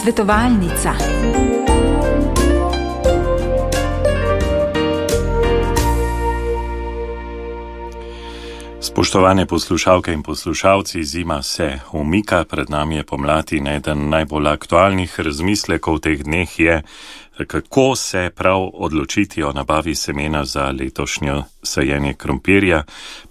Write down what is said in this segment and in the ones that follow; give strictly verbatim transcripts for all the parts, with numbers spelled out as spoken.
Svetovalnica. Spoštovane poslušalke in poslušalci, zima se umika, pred nami je pomlad in eden najbolj aktualnih razmislekov teh dneh je, kako se prav odločiti o nabavi semena za letošnjo sajenje krompirja,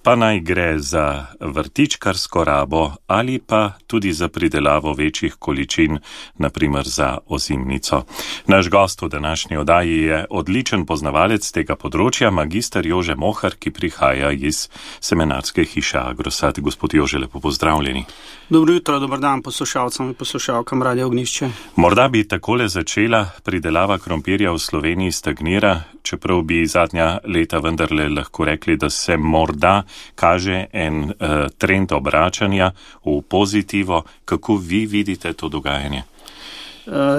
pa naj gre za vrtičkarsko rabo ali pa tudi za pridelavo večjih količin, naprimer za ozimnico. Naš gost v današnji oddaji je odličen poznavalec tega področja, magister Jože Mohar, ki prihaja iz semenarske hiše Agrosad. Gospod Jože, lepo pozdravljeni. Dobro jutro, dober dan poslušalcem in poslušalkam Radia Ognjišče. Morda bi takole začela. Pridelava krompirja v Sloveniji stagnira, čeprav bi zadnja leta vendarle lahko rekli, da se morda kaže en uh, trend obračanja v pozitivo. Kako vi vidite to dogajanje?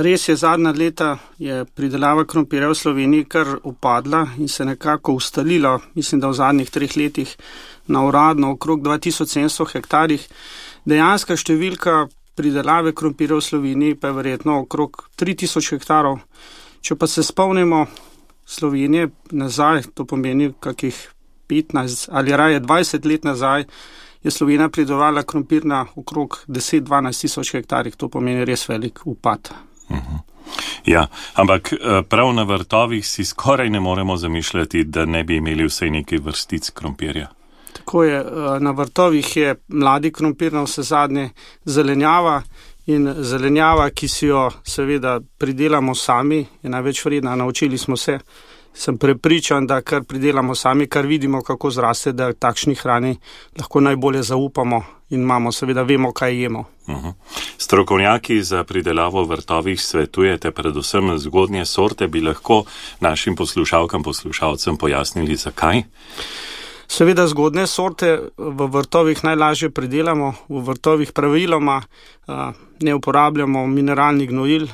Res je, zadnja leta je pridelava krompirja v Sloveniji kar upadla in se nekako ustalila, mislim, da v zadnjih treh letih na uradno okrog dva tisoč sedemsto hektarjih. Dejanska številka pridelave krompirja v Sloveniji pa je verjetno okrog tri tisoč hektarov. Če pa se spomnimo Slovenije nazaj, to pomeni kakih petnajst ali raje dvajset let nazaj, je Slovenija pridelovala krompir na okrog deset do dvanajst tisoč hektarjih, to pomeni res velik upad. Uh-huh. Ja, ampak prav na vrtovih si skoraj ne moremo zamišljati, da ne bi imeli vsaj nekaj vrstic krompirja. Tako je, na vrtovih je mladi krompir, na vse zadnje zelenjava in zelenjava, ki si jo seveda pridelamo sami, je največ vredna, naučili smo se. Sem prepričan, da kar pridelamo sami, kar vidimo, kako zraste, da takšni hrani lahko najbolje zaupamo in imamo, seveda vemo, kaj jemo. Uh-huh. Strokovnjaki za pridelavo v vrtovih svetujete predvsem zgodnje sorte, bi lahko našim poslušalkam, poslušalcem pojasnili, zakaj? Seveda zgodne sorte v vrtovih najlažje pridelamo, v vrtovih praviloma a, ne uporabljamo mineralnih gnojil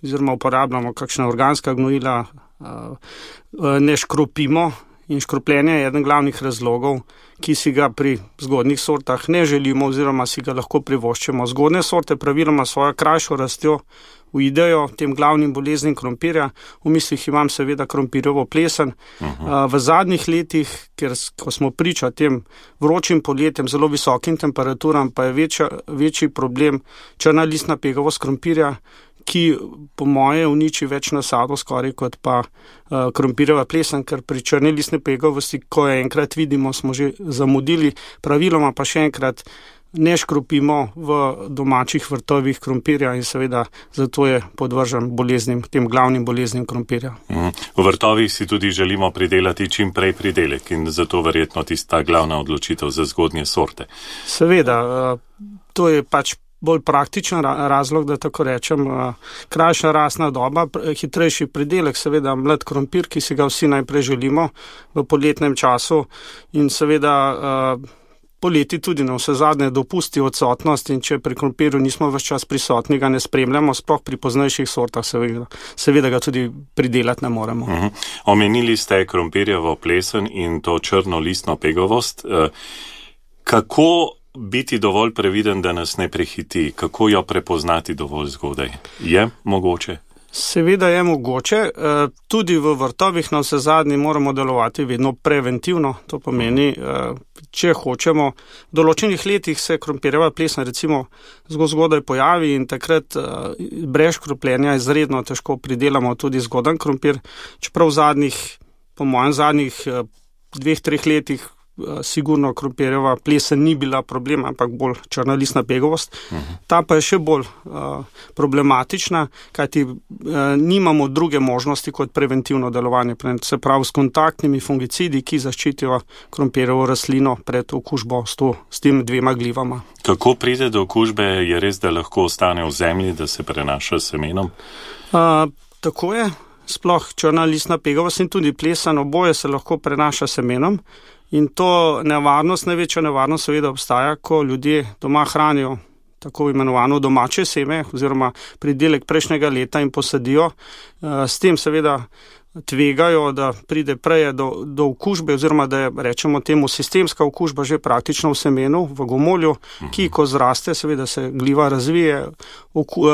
oziroma uporabljamo kakšna organska gnojila, a, a, ne škropimo in škropljenje je eden glavnih razlogov, ki si ga pri zgodnih sortah ne želimo oziroma si ga lahko privoščimo. Zgodne sorte praviloma svojo krajšo rastjo uidejo tem glavnim boleznim krompirja. V mislih imam seveda krompirjevo plesen. Uh-huh. V zadnjih letih, ker ko smo priča tem vročim poletjem, zelo visokim temperaturam, pa je večja, večji problem črna listna pegavost krompirja, ki po moje uniči več nasadov skoraj kot pa uh, krompirjeva plesen, ker pri črni listni pegavosti, ko jo enkrat vidimo, smo že zamudili, praviloma pa še enkrat ne škropimo v domačih vrtovih krompirja in seveda zato je podvržen boleznim, tem glavnim boleznim krompirja. Mm. V vrtovih si tudi želimo pridelati čim prej pridelek in zato verjetno tista glavna odločitev za zgodnje sorte. Seveda, uh, to je pač bolj praktičen razlog, da tako rečem, krajša rastna doba, hitrejši pridelek, seveda mlad krompir, ki si ga vsi najprej želimo v poletnem času in seveda poleti tudi na vse zadnje dopusti odsotnost in če pri krompirju nismo ves čas prisotni, ga ne spremljamo, sploh pri poznejših sortah seveda, seveda ga tudi pridelati ne moremo. Uh-huh. Omenili ste krompirjevo plesen in to črno listno pegavost. Kako biti dovolj previden, da nas ne prehiti? Kako jo prepoznati dovolj zgodaj? Je mogoče? Seveda je mogoče. Tudi v vrtovih na vse zadnji moramo delovati vedno preventivno. To pomeni, če hočemo, v določenih letih se krompirjeva plesen recimo zelo zgodaj pojavi in takrat brez škropljenja izredno težko pridelamo tudi zgodan krompir. Čeprav v zadnjih, po mojem zadnjih dveh, treh letih sigurno krompirjeva plesen ni bila problem, ampak bolj črna listna pegavost. Uh-huh. Ta pa je še bolj uh, problematična, kajti uh, nimamo druge možnosti kot preventivno delovanje, se pravi s kontaktnimi fungicidi, ki zaščitijo krompirjevo rastlino pred okužbo s, to, s tem dvema glivama. Kako pride do okužbe? Je res, da lahko ostane v zemlji, da se prenaša semenom? Uh, tako je. Sploh črna listna pegavost in tudi plesen, oboje se lahko prenaša semenom. In to nevarnost, največja nevarnost seveda obstaja, ko ljudje doma hranijo tako imenovano domače seme oziroma pridelek prejšnjega leta in posadijo. S tem seveda tvegajo, da pride prej do, do okužbe, oziroma da je, rečemo temu, sistemska okužba že praktično v semenu, v gomolju, ki ko zraste, seveda se gliva razvije, oku,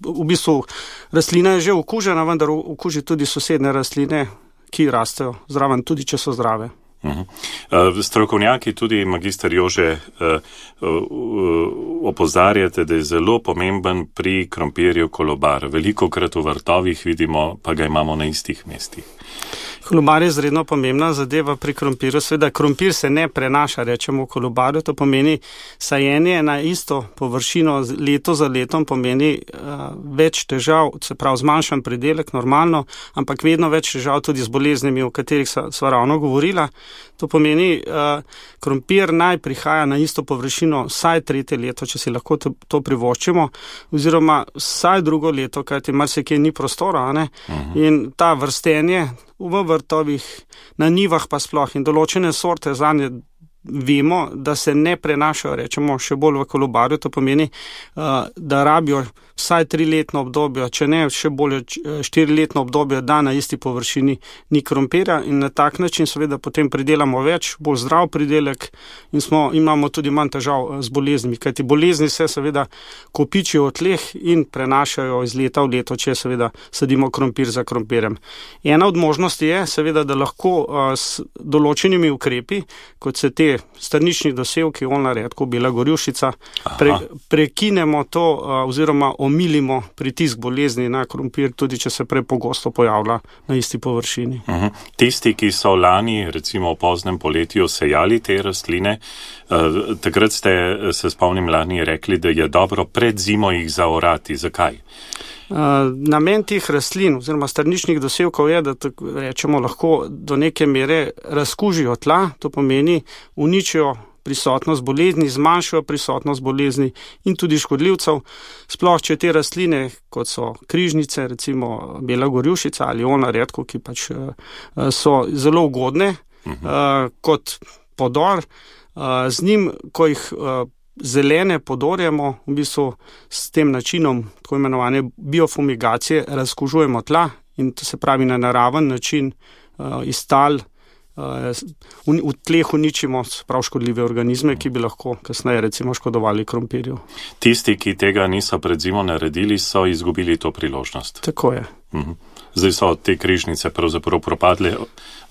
v bistvu rastlina je že okužena, vendar okuži tudi sosedne rastline, ki rastejo zraven, tudi če so zdrave. Uh, strokovnjaki, tudi magister Jože, uh, uh, opozarjate, da je zelo pomemben pri krompirju kolobar. Veliko krat v vrtovih vidimo, pa ga imamo na istih mestih. Kolobar je izredno pomembna zadeva pri krompirju. Seveda, krompir se ne prenaša, rečemo, v kolobarju. To pomeni sajenje na isto površino leto za letom, pomeni uh, več težav, se pravi zmanjšan pridelek, normalno, ampak vedno več težav tudi z boleznimi, o katerih sva ravno govorila. To pomeni, uh, krompir naj prihaja na isto površino vsaj tretje leto, če si lahko to, to privoščimo, oziroma vsaj drugo leto, kajti marsikje ni prostora, ne? Uh-huh. In ta vrstenje v vrtovih, na njivah pa sploh in določene sorte zanje vemo, da se ne prenašajo, rečemo, še bolj v kolobarju. To pomeni, da rabijo vsaj triletno obdobje, če ne še bolj štiriletno obdobje, da na isti površini ni krompirja, in na tak način seveda potem pridelamo več, bolj zdrav pridelek in smo, imamo tudi manj težav z boleznimi, kajti bolezni se seveda kopičijo v tleh in prenašajo iz leta v leto, če seveda sadimo krompir za krompirjem. Ena od možnosti je seveda, da lahko s določenimi ukrepi, kot se te strnični dosevki, oljna redkev, bela gorjušica, pre, prekinemo to oziroma omilimo pritisk bolezni na krompir, tudi če se prepogosto pojavlja na isti površini. Uh-huh. Tisti, ki so lani, recimo v poznem poletju, sejali te rastline, uh, takrat ste, se spomnim, lani rekli, da je dobro pred zimo jih zaorati. Zakaj? Uh, namen teh rastlin oziroma strničnih dosevkov je, da tako rečemo lahko do neke mere razkužijo tla, to pomeni uničijo prisotnost bolezni, zmanjšajo prisotnost bolezni in tudi škodljivcev. Sploh, če te rastline, kot so križnice, recimo bela gorjušica ali oljna redkev, ki pač uh, so zelo ugodne uh, kot podor, uh, z njim, ko jih uh, zelene podorjamo, v bistvu s tem načinom tako imenovane biofumigacije razkužujemo tla in to se pravi na naraven način uh, iz tal uh, v tleh uničimo prav škodljive organizme, ki bi lahko kasneje recimo škodovali krompirju. Tisti, ki tega niso pred zimo naredili, so izgubili to priložnost. Tako je. Uh-huh. Zdaj so te križnice pravzaprav propadle,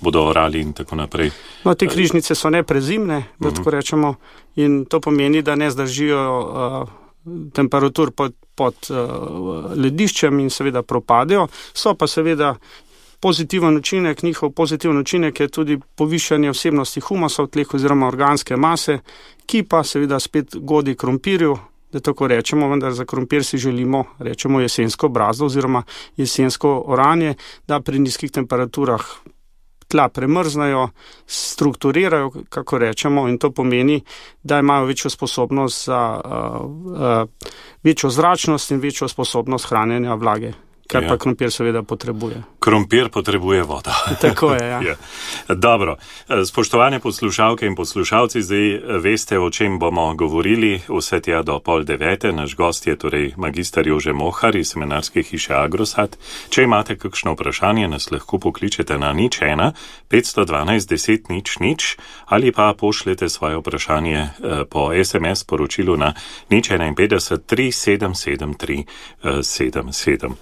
bodo orali in tako naprej. No, te križnice so neprezimne, da tako rečemo, in to pomeni, da ne zdržijo uh, temperatur pod, pod uh, lediščem in seveda propadejo. So pa seveda pozitiven učinek, njihov pozitiven učinek je tudi povišanje vsebnosti humusa v tleh oziroma organske mase, ki pa seveda spet godi krompirju, da tako rečemo, vendar za krompir si želimo, rečemo, jesensko brazdo oziroma jesensko oranje, da pri nizkih temperaturah tla premrznajo, strukturirajo, kako rečemo, in to pomeni, da imajo večjo sposobnost za uh, uh, večjo zračnost in večjo sposobnost hranjenja vlage. Kar ja. Pa krompir seveda potrebuje. Krompir potrebuje vodo. Tako je, ja. ja. Dobro. Spoštovane poslušalke in poslušalci, zdaj veste, o čem bomo govorili. Vse tja do pol devete. Naš gost je torej magister Jože Mohar iz seminarske hiše Agrosat. Če imate kakšno vprašanje, nas lahko pokličete na nič ena petsto dvanajst deset nič nič ali pa pošljete svoje vprašanje po es em es poročilu na nič enainpetdeset tri sedem sedem tri sedem sedem.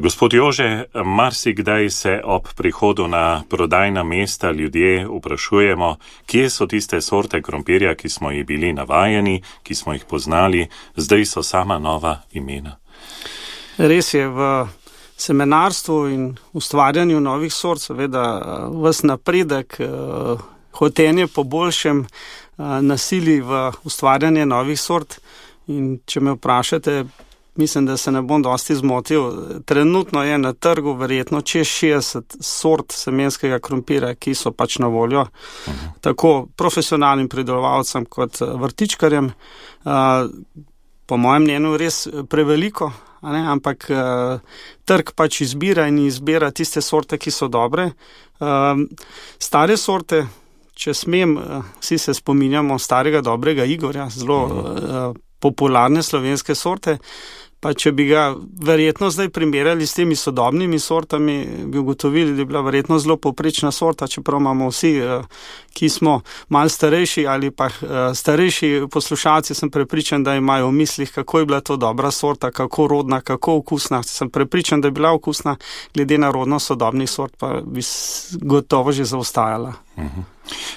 Gospod Jože, marsikdaj se ob prihodu na prodajna mesta ljudje vprašujemo, kje so tiste sorte krompirja, ki smo jih bili navajeni, ki smo jih poznali, zdaj so sama nova imena. Res je, v semenarstvu in ustvarjanju novih sort, seveda ves napredek, hotenje po boljšem nasili v ustvarjanje novih sort. In če me vprašate, mislim, da se ne bom dosti zmotil. Trenutno je na trgu verjetno čez šestdeset sort semenskega krompira, ki so pač na voljo uh-huh. tako profesionalnim pridelovalcem kot vrtičkarjem. Uh, po mojem mnenju res preveliko, a ne? Ampak uh, trg pač izbira in izbira tiste sorte, ki so dobre. Uh, stare sorte, če smem, uh, vsi se spominjamo starega dobrega Igorja, zelo uh, popularne slovenske sorte. Pa če bi ga verjetno zdaj primerjali s temi sodobnimi sortami, bi ugotovili, da je bila verjetno zelo povprečna sorta, čeprav imamo vsi, ki smo malo starejši ali pa starejši poslušalci, sem prepričan, da imajo v mislih, kako je bila to dobra sorta, kako rodna, kako okusna. Sem prepričan, da je bila okusna, glede na rodnost sodobnih sort, pa bi gotovo že zaostajala. Mhm.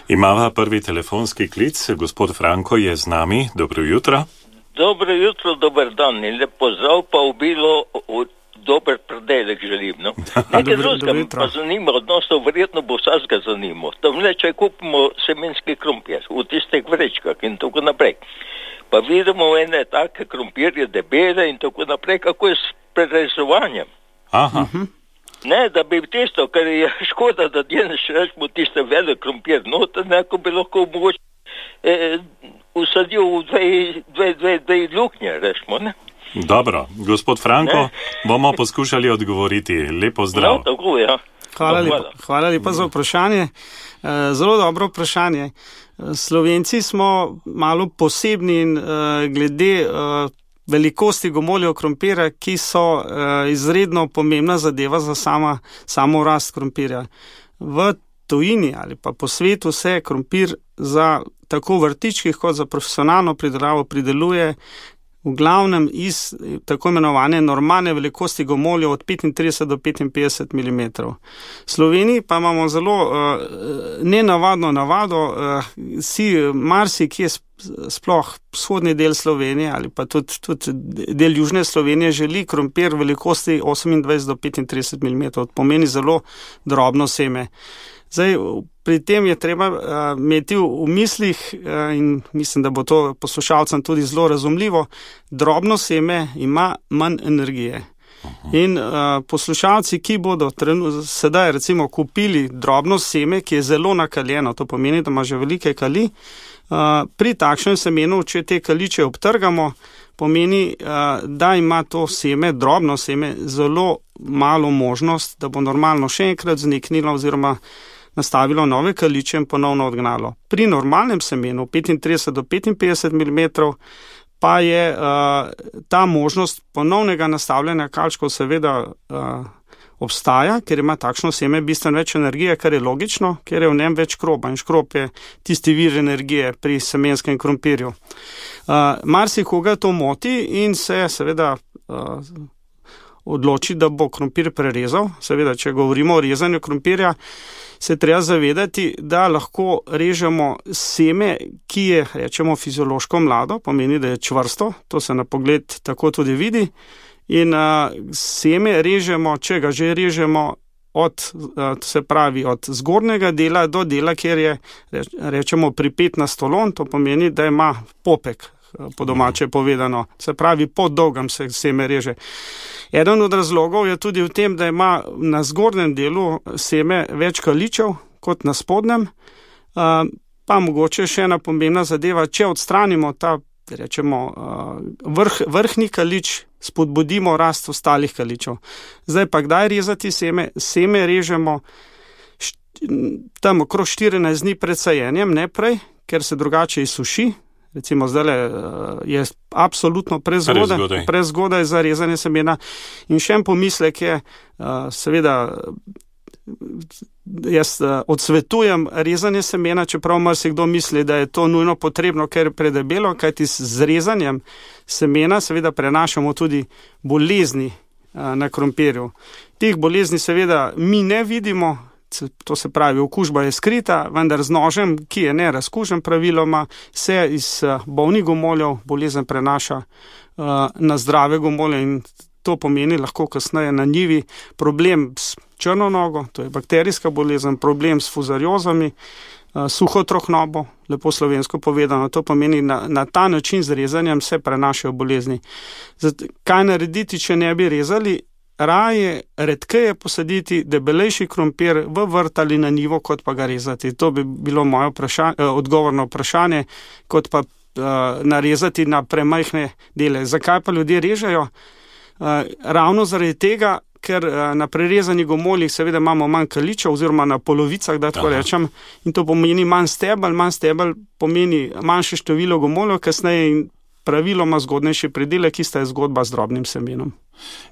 Imava prvi telefonski klic, gospod Franko je z nami, dobro jutro. Dobro jutro, dober dan in lep pozdrav, pa obilo dober predelek želim. No? Nekaj drugega me pa zanima, odnosno verjetno bo vsega zanimo. Tam le, če kupimo semenski krompir v tistih vrečkah in tako naprej. Pa vidimo ene take krompirje debele in tako naprej, kako je s prerezovanjem. Aha. Uh-huh. Ne, da bi tisto, ker je škoda, da djeneš rečemo tiste velik krompir, no, to neko bi lahko mogoče eh, usadil v dve, dve, dve, dve luknje, rečemo, ne? Dobro, gospod Franko, ne? Bomo poskušali odgovoriti. Lepo zdrav. No, tako, ja. Hvala lepa, hvala lepa za vprašanje. Zelo dobro vprašanje. Slovenci smo malo posebni in glede velikosti gomoljev krompirja, ki so izredno pomembna zadeva za sama, samo rast krompirja. V tujini ali pa po svetu se krompir za tako vrtičkih kot za profesionalno pridelavo prideluje v glavnem iz tako imenovane normalne velikosti gomoljev od petintrideset do petinpetdeset milimetrov. V Sloveniji pa imamo zelo uh, nenavadno navado, uh, si marsi, ki je sploh vzhodni del Slovenije ali pa tudi, tudi del južne Slovenije želi krompir velikosti osemindvajset do petintrideset milimetrov, pomeni zelo drobno seme. Zdaj, pri tem je treba uh, imeti v, v mislih uh, in mislim, da bo to poslušalcem tudi zelo razumljivo, drobno seme ima manj energije. In uh, poslušalci, ki bodo trenu, sedaj recimo kupili drobno seme, ki je zelo nakaljeno, to pomeni, da ima že velike kali, uh, pri takšnem semenu, če te kaliče obtrgamo, pomeni, uh, da ima to seme, drobno seme, zelo malo možnost, da bo normalno še enkrat zniknilo oziroma nastavilo nove kaliče in ponovno odgnalo. Pri normalnem semenu petintrideset do petinpetdeset milimetrov pa je uh, ta možnost ponovnega nastavljanja kalčkov seveda uh, obstaja, ker ima takšno seme bistveno več energije, kar je logično, ker je v njem več škroba in škrob je tisti vir energije pri semenskem krompirju. Uh, marsikoga to moti in se seveda uh, odloči, da bo krompir prerezal. Seveda, če govorimo o rezanju krompirja, se treba zavedati, da lahko režemo seme, ki je, rečemo, fiziološko mlado, pomeni, da je čvrsto, to se na pogled tako tudi vidi, in uh, seme režemo, če ga že režemo, od, uh, se pravi, od zgornjega dela do dela, kjer je, rečemo, pripet na stolon, to pomeni, da ima popek, po domače povedano, se pravi, po dolgem se seme reže. Eden od razlogov je tudi v tem, da ima na zgornjem delu seme več kaličev kot na spodnjem, pa mogoče še ena pomembna zadeva, če odstranimo ta, rečemo, vrh, vrhni kalič, spodbudimo rast ostalih kaličev. Zdaj pa kdaj rezati seme? Seme režemo tam okrog štirinajst dni pred sajenjem, ne prej, ker se drugače izsuši. Recimo zdaj je absolutno prezgodaj, prezgodaj za rezanje semena. In še en pomislek je, seveda, jaz odsvetujem rezanje semena, čeprav marsikdo misli, da je to nujno potrebno, ker je predebelo, kajti z rezanjem semena seveda prenašamo tudi bolezni na krompirju. Teh bolezni seveda mi ne vidimo, to se pravi, okužba je skrita, vendar z nožem, ki je ne razkužen praviloma, se iz bolnih gomoljev bolezen prenaša uh, na zdrave gomolje in to pomeni lahko kasneje na njivi problem s črno nogo, to je bakterijska bolezen, problem s fuzariozami, uh, suho trohnobo, lepo slovensko povedano, to pomeni na, na ta način z rezanjem se prenašajo bolezni. Zdaj, kaj narediti, če ne bi rezali? Raje redkeje posaditi debelejši krompir v vrt ali na njivo, kot pa ga rezati. To bi bilo moje vprašanje, odgovor na vprašanje, kot pa uh, narezati na premajhne dele. Zakaj pa ljudje režejo? Uh, ravno zaradi tega, ker uh, na prerezanih gomoljih seveda imamo manj kaličev oziroma na polovicah, da tako Aha. rečem, in to pomeni manj stebel, manj stebel pomeni manjše število gomoljev, kasneje in praviloma zgodnejši pridelek, ista je zgodba z drobnim semenom.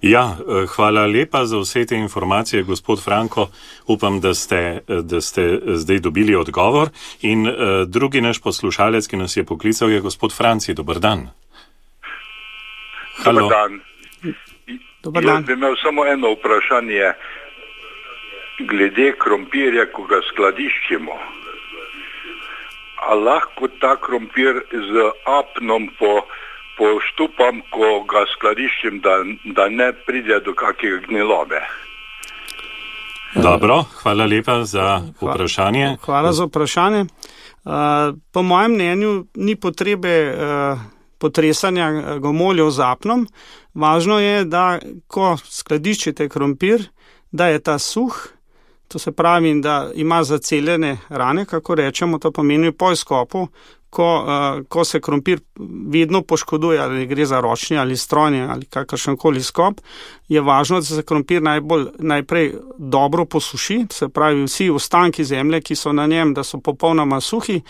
Ja, hvala lepa za vse te informacije, gospod Franko. Upam, da ste, da ste zdaj dobili odgovor. In uh, drugi naš poslušalec, ki nas je poklical, je gospod Franci. Dobar dan. Dobar dan. Dobar dan. Jaz bi imel samo eno vprašanje glede krompirja, ko ga skladiščimo. A lahko ta krompir z apnom po, poštupam, ko ga skladiščim, da, da ne pride do kakega gnilobe? Dobro, hvala lepa za vprašanje. Hvala za vprašanje. Uh, po mojem mnenju ni potrebe uh, potresanja gomoljev z apnom. Važno je, da ko skladiščite krompir, da je ta suh, to se pravi, da ima zaceljene rane, kako rečemo, to pomeni po izkopu, ko, uh, ko se krompir vedno poškoduje, ali gre za ročni ali strojni ali kakršenkoli izkop, je važno, da se krompir najbolj, najprej dobro posuši, to se pravi vsi ostanki zemlje, ki so na njem, da so popolnoma suhi,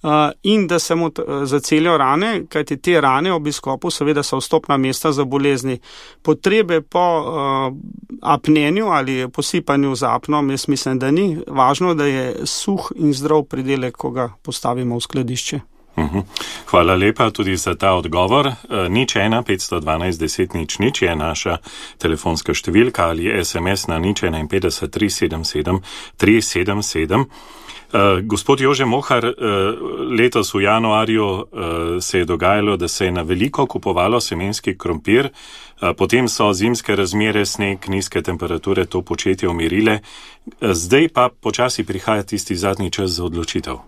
Uh, in da se mu t- zacelijo rane, kajti te rane ob izkopu seveda so vstopna mesta za bolezni. Potrebe po uh, apnenju ali posipanju z apnom, jaz mislim, da ni. Važno, da je suh in zdrav pridelek, ko ga postavimo v skladišče. Uhum. Hvala lepa tudi za ta odgovor. E, nič ena, petsto dvanajst, deset, nič, nič je naša telefonska številka ali es em es na nič enainpetdeset, tri sedem sedem, tri sedem sedem. Uh, gospod Jože Mohar, uh, letos v januarju uh, se je dogajalo, da se je na veliko kupovalo semenski krompir, uh, potem so zimske razmere, sneg, nizke temperature to početje umirile, uh, zdaj pa počasi prihaja tisti zadnji čas za odločitev.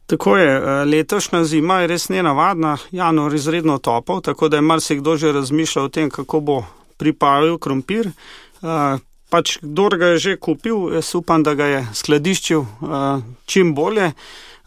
Tako je, letošnja zima je res nenavadna, januar izredno topel, tako da je marsikdo že razmišljal o tem, kako bo pripravil krompir. Uh, Pač, kdor ga je že kupil, jaz upam, da ga je skladiščil uh, čim bolje.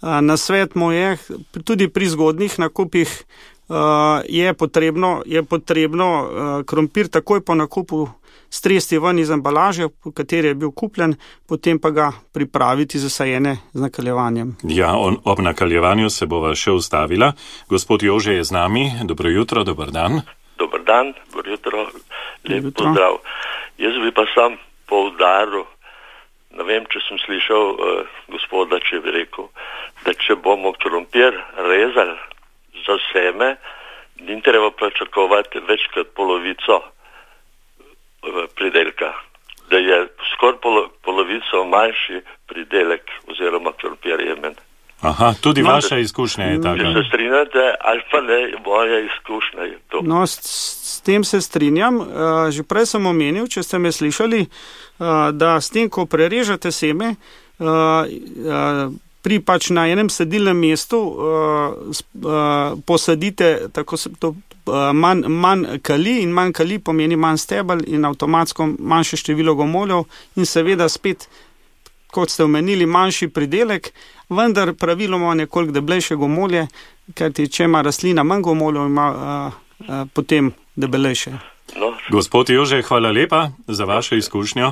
Uh, nasvet mu je, tudi pri zgodnih nakupih uh, je potrebno, je potrebno uh, krompir takoj po nakupu stresti ven iz embalaže, v kateri je bil kupljen, potem pa ga pripraviti za sajene z nakaljevanjem. Ja, on, ob nakaljevanju se bova še ustavila. Gospod Jože je z nami. Dobro jutro, dober dan. Dobar dan, dobro jutro, lep pozdrav. Jaz bi pa sam poudaril, ne vem, če sem slišal uh, gospoda, če bi rekel, da če bomo krompir rezali za seme, ni treba pričakovati več kot polovico uh, pridelka, da je skoraj polo, polovico manjši pridelek oziroma krompir jemen. Aha, tudi no, vaša izkušnja je taka. Če se strinjate, ali pa ne, moja izkušnja je to. No, s, s tem se strinjam. Uh, že prej sem omenil, če ste me slišali, uh, da s tem, ko prerežete seme, uh, uh, pri pač na enem sedilnem mestu uh, uh, posadite tako se to uh, manj, manj kali in manj kali pomeni manj stebel in avtomatsko manjše število gomoljev in seveda spet, kot ste omenili, manjši pridelek, vendar praviloma nekoliko debelejše gomolje, kajti če ima rastlina manj gomoljev, ima a, a, potem debelejše. No. Gospod Jože, hvala lepa za vašo izkušnjo.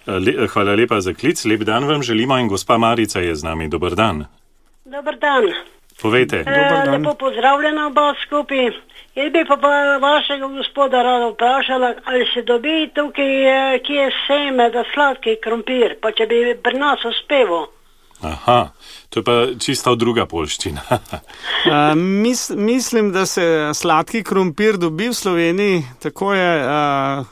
Le, hvala lepa za klic. Lep dan vam želimo in gospa Marica je z nami. Dobar dan. Dobar dan. Povejte. E, lepo pozdravljena oba skupaj. Jaz bi pa, pa vašega gospoda rada vprašala, ali se dobi tukaj, ki je seme, da sladki krompir, pa če bi pri nas uspeval. Aha, to je pa čisto druga polščina. uh, mis, mislim, da se sladki krompir dobi v Sloveniji, tako je, uh,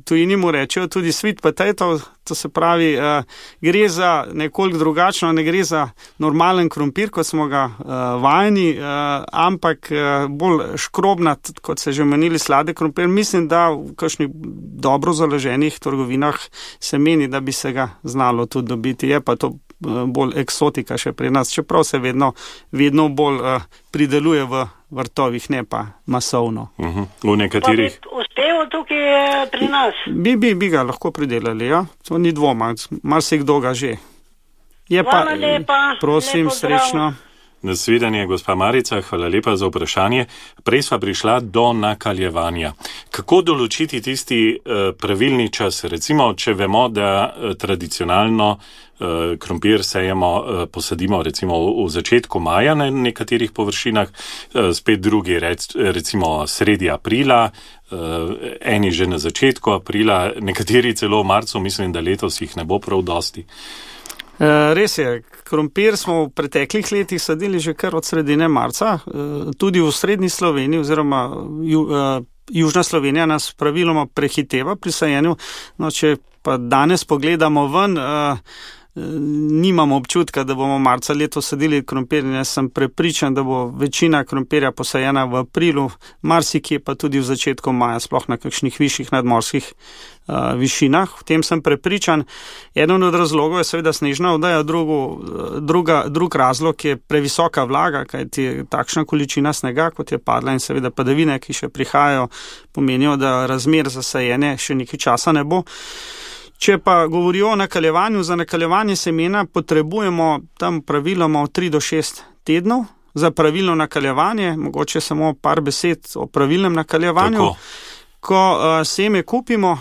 tujini mu rečejo tudi sweet potato, to se pravi, uh, gre za nekoliko drugačno, ne gre za normalen krompir, kot smo ga uh, vajeni, uh, ampak uh, bolj škrobnat, kot se že menili sladek krompir. Mislim, da v kakšnih dobro založenih trgovinah se meni, da bi se ga znalo tudi dobiti. Je pa to uh, bolj eksotika še pri nas, čeprav se vedno, vedno bolj uh, prideluje v vrtovih, ne pa masovno. Uh-huh. V nekaterih... Pa bi uspel tukaj pri nas? Bi, bi, bi ga lahko pridelali, ja. To ni dvoma, marsikdo ga že. Je Hvala pa, lepa. prosim, lepo srečno. Nasvidenje, gospa Marica, hvala lepa za vprašanje. Prej sva prišla do nakaljevanja. Kako določiti tisti uh, pravilni čas? Recimo, če vemo, da uh, tradicionalno uh, krompir sejemo, uh, posadimo recimo v, v začetku maja na nekaterih površinah, uh, spet drugi rec, recimo sredi aprila, uh, eni že na začetku aprila, nekateri celo v marcu, mislim, da letos jih ne bo prav dosti. Res je, krompir smo v preteklih letih sadili že kar od sredine marca, tudi v srednji Sloveniji oziroma ju, južna Slovenija nas praviloma prehiteva pri sajenju. No, če pa danes pogledamo ven, nimamo občutka, da bomo marca letos sadili krompir. Jaz sem prepričan, da bo večina krompirja posajena v aprilu, marsikje pa tudi v začetku maja, sploh na kakšnih višjih nadmorskih uh, višinah. V tem sem prepričan. Eden od razlogov je seveda snežna odeja, drugo, druga, drug razlog je previsoka vlaga, kajti takšna količina snega, kot je padla, in seveda padavine, ki še prihajajo, pomenijo, da razmer za sajenje še nekaj časa ne bo. Če pa govorijo o nakaljevanju, za nakaljevanje semena potrebujemo tam praviloma od tri do šest tednov. Za pravilno nakaljevanje, mogoče samo par besed o pravilnem nakaljevanju. Tako. Ko uh, seme kupimo,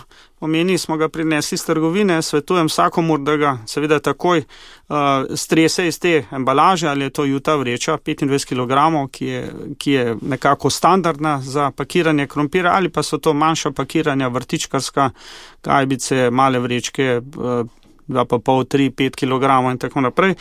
pomeni, smo ga prinesli iz trgovine, svetujem vsakomur, da ga seveda takoj uh, strese iz te embalaže, ali je to juta vreča, petindvajset kilogramov, ki je, ki je nekako standardna za pakiranje krompira, ali pa so to manjša pakiranja, vrtičkarska, gajbice, male vrečke, uh, dva pa pol, tri, pet kilogramov in tako naprej.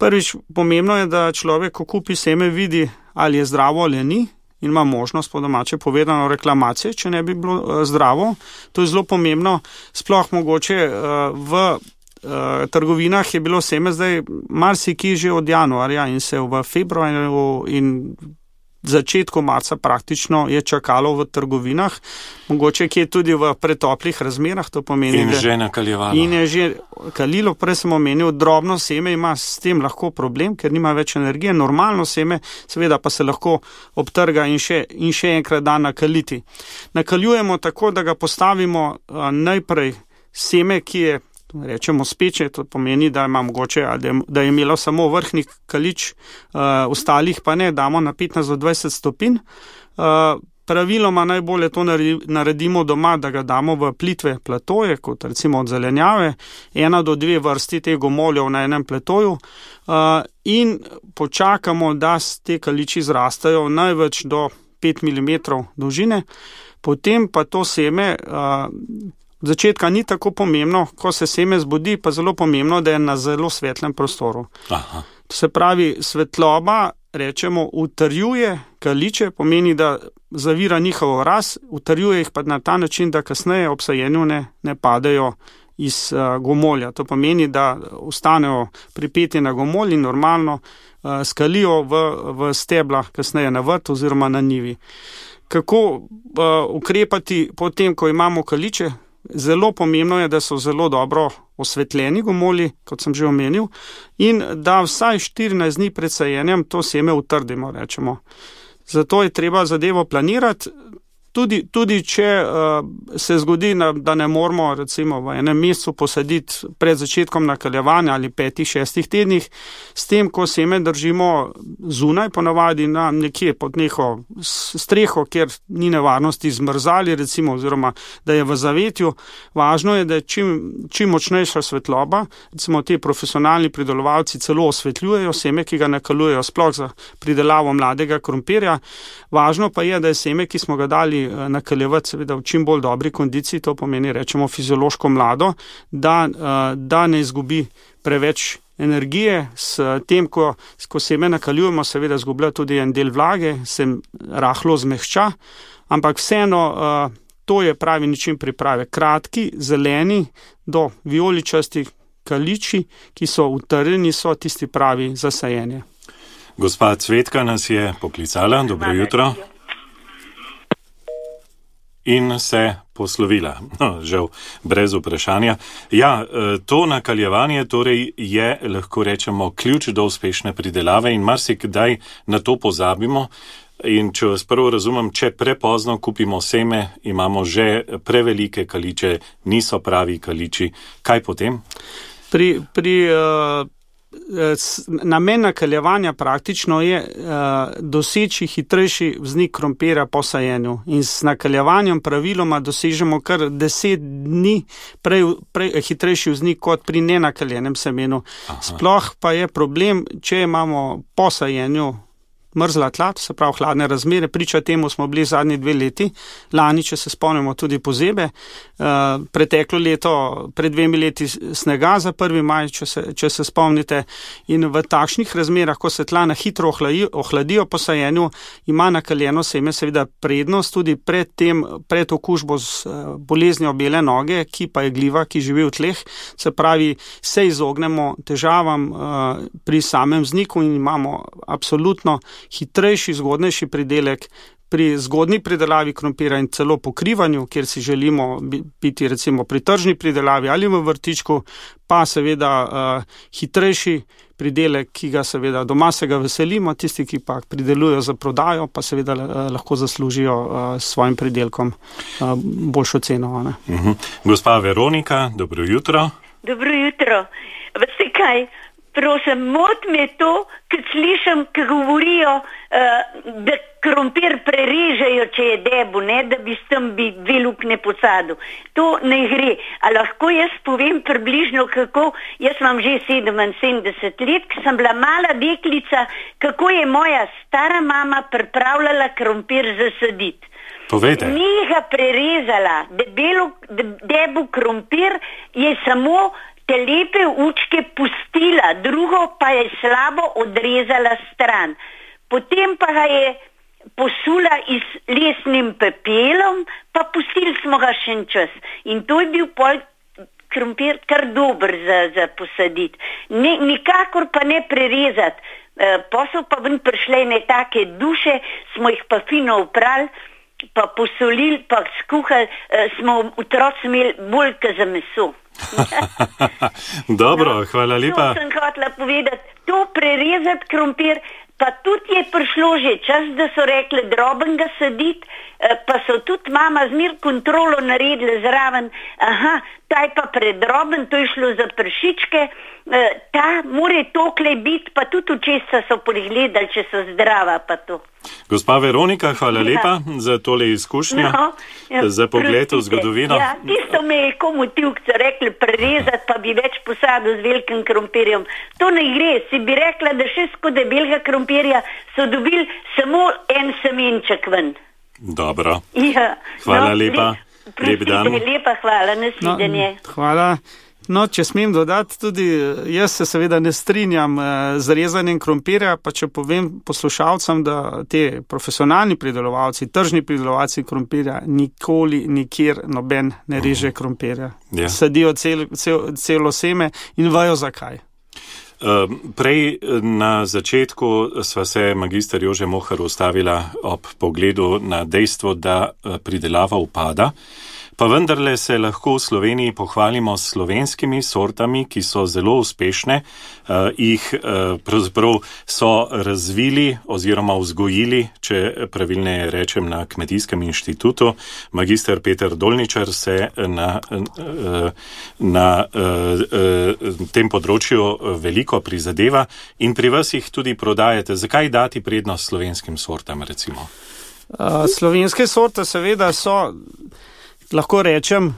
Prvič, pomembno je, da človek, ko kupi seme, vidi, ali je zdravo ali ni, in ima možnost, po domače povedano, reklamacije, če ne bi bilo uh, zdravo. To je zelo pomembno. Sploh mogoče uh, v uh, trgovinah je bilo seme zdaj marsikje že od januarja in se v februarju in začetku marca praktično je čakalo v trgovinah, mogoče kje tudi v pretoplih razmerah, to pomeni, in že nakaljevalo. In je že kalilo, prej sem omenil, drobno seme ima s tem lahko problem, ker nima več energije, normalno seme seveda pa se lahko obtrga in še, in še enkrat da nakaliti. Nakaljujemo tako, da ga postavimo a, najprej seme, ki je, rečemo, speče, to pomeni, da ima mogoče, da je imelo samo vrhni kalič, uh, ostalih pa ne, damo na petnajst do dvajset stopinj. Uh, praviloma najbolje to naredimo doma, da ga damo v plitve platoje, kot recimo od zelenjave, ena do dve vrsti teh gomoljev na enem platoju, uh, in počakamo, da te kaliči zrastajo največ do pet milimetrov dolžine, potem pa to seme uh, od začetka ni tako pomembno, ko se seme zbudi, pa zelo pomembno, da je na zelo svetlem prostoru. Aha. To se pravi, svetloba, rečemo, utrjuje kaliče, pomeni, da zavira njihovo rast, utrjuje jih pa na ta način, da kasneje ob sajenju ne, ne padejo iz uh, gomolja. To pomeni, da ostanejo pripeti na gomolj in normalno uh, skalijo v, v stebla kasneje na vrt oziroma na njivi. Kako uh, ukrepati potem, ko imamo kaliče? Zelo pomembno je, da so zelo dobro osvetljeni gomolji, kot sem že omenil, in da vsaj štirinajst dni pred sajenjem to seme utrdimo, rečemo. Zato je treba zadevo planirati. Tudi, tudi če uh, se zgodi, da ne moramo recimo v enem mesecu posaditi pred začetkom nakaljevanja ali petih, šestih tednih, s tem, ko seme držimo zunaj, ponavadi na nekje pod neko streho, kjer ni nevarnosti zmrzali, recimo, oziroma da je v zavetju, važno je, da je čim, čim močnejša svetloba, recimo ti profesionalni pridelovalci celo osvetljujejo seme, ki ga nakaljujejo sploh za pridelavo mladega krompirja. Važno pa je, da je seme, ki smo ga dali nakaljevati seveda v čim bolj dobri kondiciji, to pomeni, rečemo, fiziološko mlado, da, da ne izgubi preveč energije. S tem, ko, ko seme nakaljujemo, seveda izgublja tudi en del vlage, se rahlo zmehča, ampak vseeno to je pravi način priprave. Kratki, zeleni do vijoličasti kaliči, ki so utrjeni, so tisti pravi za sajenje. Gospa Cvetka nas je poklicala. Dobro jutro. In se poslovila. No, žal, brez vprašanja. Ja, to nakaljevanje torej je, lahko rečemo, ključ do uspešne pridelave in marsikdaj na to pozabimo. In če vas prvo razumem, če prepozno kupimo seme, imamo že prevelike kaliče, niso pravi kaliči. Kaj potem? Pri, pri uh, namen nakaljevanja praktično je uh, doseči hitrejši vznik krompirja po sajenju in s nakaljevanjem praviloma dosežemo kar deset dni prej, prej, hitrejši vznik kot pri nenakaljenem semenu. Aha. Sploh pa je problem, če imamo po sajenju mrzla tla, se pravi hladne razmere, priča temu smo bili zadnji dve leti, lani, če se spomnimo, tudi pozebe, uh, preteklo leto, pred dvemi leti snega za prvi maj, če se, če se spomnite, in v takšnih razmerah, ko se tla na hitro ohladijo, ohladijo po sajenju, ima nakaljeno seme seveda prednost tudi pred tem, pred okužbo z uh, boleznjo bele noge, ki pa je gljiva, ki živi v tleh, se pravi, se izognemo težavam uh, pri samem vzniku in imamo absolutno hitrejši, zgodnejši pridelek pri zgodni pridelavi krompira in celo pokrivanju, kjer si želimo biti recimo pri tržni pridelavi ali v vrtičku, pa seveda uh, hitrejši pridelek, ki ga seveda doma se ga veselimo, tisti, ki pa pridelujo za prodajo, pa seveda uh, lahko zaslužijo uh, s svojim pridelkom uh, boljšo ceno. Ne? Uh-huh. Gospa Veronika, dobro jutro. Dobro jutro. Veste kaj? Prosim, mot me to, kad slišam, kad govorijo, uh, da krompir prerežejo, če je debu, ne, da bi s tem bi dve lukne posadil. To ne gre. A lahko jaz povem približno, kako, jaz imam že sedeminsedemdeset let, ko sem bila mala deklica, kako je moja stara mama pripravljala krompir zasaditi. Povejte. Ni ga prerezala, debelo, debu krompir je samo te lepe učke pustila, drugo pa je slabo odrezala stran. Potem pa ga je posula iz lesnim pepelom, pa pustili smo ga še en čas. In to je bil pol krompir kar dober za, za posaditi. Ne, nikakor pa ne prerezati. E, pa so pa ven prišle ne take duše, smo jih pa fino oprali, pa posolili, pa skuhali, e, smo otroci imeli bolj ka za meso. Dobro, no, hvala lepa. To sem hotela povedati, to prerezati krompir, pa tudi je prišlo že čas, da so rekli droben ga saditi, pa so tudi mama zmer kontrolo naredila zraven, aha, ta je pa predroben, to je šlo za pršičke, ta more tokle biti, pa tudi očesa so pregledali, če so zdrava pa to. Gospa Veronika, hvala ja. lepa za tole izkušnjo, no, ja, za pogled v zgodovino. Ja, tisto me je komu tivkce rekli prerezati, pa bi več posadil z velikim krompirjem. To ne gre, si bi rekla, da še skozi debelega krompirja so dobili samo en semenček ven. Dobro, ja. hvala no, lepa, lep, lep dan. Lepa, hvala, nasvidenje. No, hvala. No, če smem dodati, tudi jaz se seveda ne strinjam z rezanjem krompirja, pa če povem poslušalcem, da te profesionalni pridelovalci, tržni pridelovalci krompirja nikoli, nikjer noben ne reže krompirja. Yeah. Sadijo cel, cel, celo seme in vajo zakaj. Prej na začetku sva se magister Jože Mohar ustavila ob pogledu na dejstvo, da pridelava upada. Pa vendarle se lahko v Sloveniji pohvalimo s slovenskimi sortami, ki so zelo uspešne, uh, jih uh, pravzaprav so razvili oziroma vzgojili, če pravilneje rečem, na Kmetijskem inštitutu. Magister Peter Dolničar se na, uh, na uh, uh, tem področju veliko prizadeva in pri vas jih tudi prodajate. Zakaj dati prednost slovenskim sortam, recimo? Uh, slovenske sorte seveda so, lahko rečem,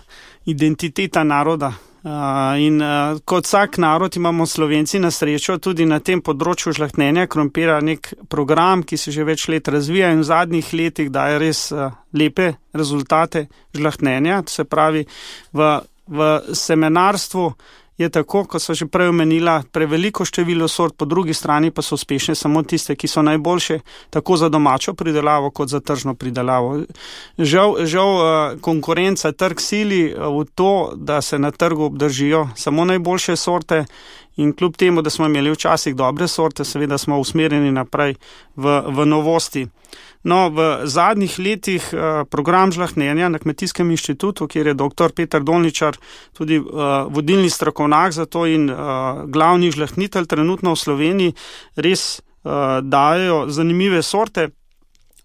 identiteta naroda. Uh, in uh, kot vsak narod imamo Slovenci na srečo tudi na tem področju žlahtnenja krompira nek program, ki se že več let razvija in v zadnjih letih daje res uh, lepe rezultate žlahtnenja. Se pravi, v, v semenarstvu je tako, kot so že prej omenila, preveliko število sort, po drugi strani pa so uspešne samo tiste, ki so najboljše, tako za domačo pridelavo, kot za tržno pridelavo. Žal, žal konkurenca trg sili v to, da se na trgu obdržijo samo najboljše sorte in kljub temu, da smo imeli včasih dobre sorte, seveda smo usmerjeni naprej v, v novosti. No, v zadnjih letih program žlahtnenja na Kmetijskem inštitutu, kjer je doktor Peter Dolničar tudi uh, vodilni strokovnjak za to in uh, glavni žlahtnitelj trenutno v Sloveniji, res uh, dajo zanimive sorte.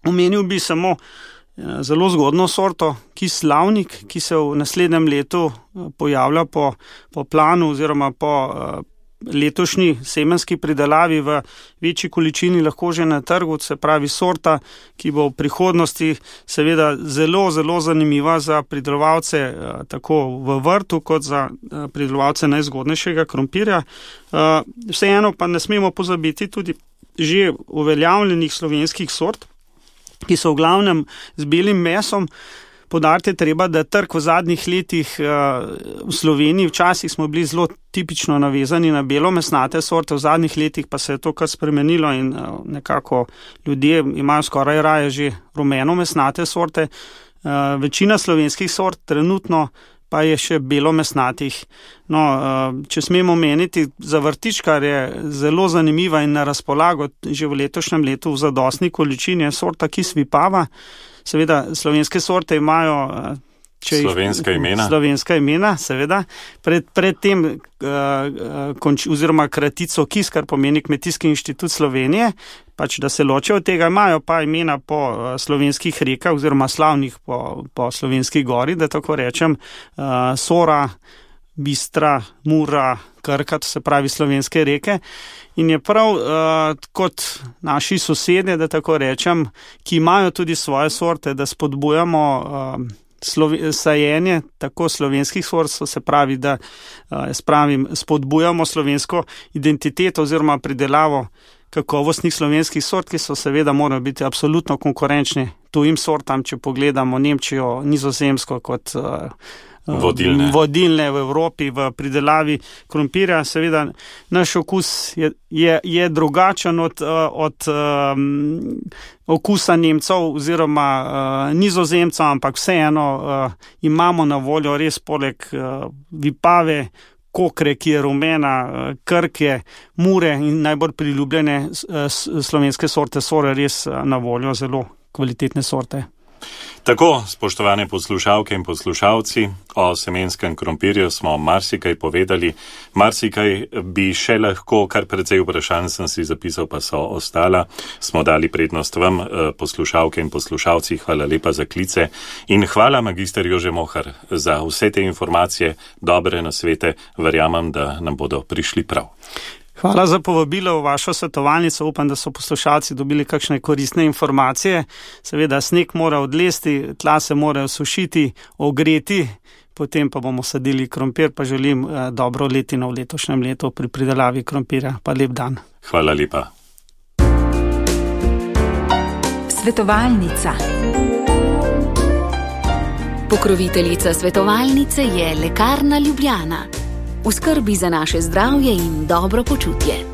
Omenil bi samo uh, zelo zgodno sorto, kis slavnik, ki se v naslednjem letu uh, pojavlja po, po planu oziroma po uh, letošnji semenski pridelavi v večji količini lahko že na trgu, se pravi sorta, ki bo v prihodnosti seveda zelo, zelo zanimiva za pridelovalce tako v vrtu kot za pridelovalce najzgodnejšega krompirja. Vseeno pa ne smemo pozabiti tudi že uveljavljenih slovenskih sort, ki so v glavnem z belim mesom. Podariti treba, da trg v zadnjih letih v Sloveniji, včasih smo bili zelo tipično navezani na belomesnate sorte, v zadnjih letih pa se je to kar spremenilo in nekako ljudje imajo skoraj raje že rumenomesnate sorte. Večina slovenskih sort trenutno pa je še belomesnatih. No, če smemo meniti, za vrtičkar je zelo zanimiva in na razpolago že v letošnjem letu v zadostni količini je sorta Kis Vipava. Seveda, slovenske sorte imajo če slovenska imena. Slovenska imena, seveda. Pred, pred tem, uh, konč, oziroma kratico Kis, kar pomeni Kmetijski inštitut Slovenije, pač da se ločijo od tega, imajo pa imena po uh, slovenskih rekah, oziroma slavnih po, po slovenski gori, da tako rečem, uh, Sora, Bistra, Mura, Krka, to se pravi slovenske reke. In je prav uh, kot naši sosedje, da tako rečem, ki imajo tudi svoje sorte, da spodbujamo uh, slovi, sajenje tako slovenskih sort, se pravi, da uh, spravim, spodbujamo slovensko identiteto oziroma pridelavo kakovostnih slovenskih sort, ki so seveda morajo biti absolutno konkurenčni tujim sortam, če pogledamo Nemčijo, Nizozemsko kot uh, Vodilne. vodilne v Evropi v pridelavi krompirja. Seveda naš okus je, je, je drugačen od, od um, okusa Nemcev oziroma uh, Nizozemcev, ampak vseeno uh, imamo na voljo res poleg uh, Vipave, Kokre, ki je rumena, uh, Krke, Mure in najbolj priljubljene uh, slovenske sorte Sore res uh, na voljo zelo kvalitetne sorte. Tako, spoštovane poslušalke in poslušalci, o semenskem krompirju smo marsikaj povedali, marsikaj bi še lahko, kar precej vprašanj sem si zapisal, pa so ostala. Smo dali prednost vam, poslušalke in poslušalci, hvala lepa za klice in hvala magister Jože Mohar za vse te informacije, dobre nasvete, verjamem, da nam bodo prišli prav. Hvala za povabilo v vašo svetovalnico. Upam, da so poslušalci dobili kakšne koristne informacije. Seveda, sneg mora odlesti, tla se morajo sušiti, ogreti, potem pa bomo sadili krompir, pa želim eh, dobro letino v letošnjem letu pri pridelavi krompirja. Pa lep dan. Hvala lepa. Svetovalnica. Pokroviteljica svetovalnice je Lekarna Ljubljana. V skrbi za naše zdravje in dobro počutje.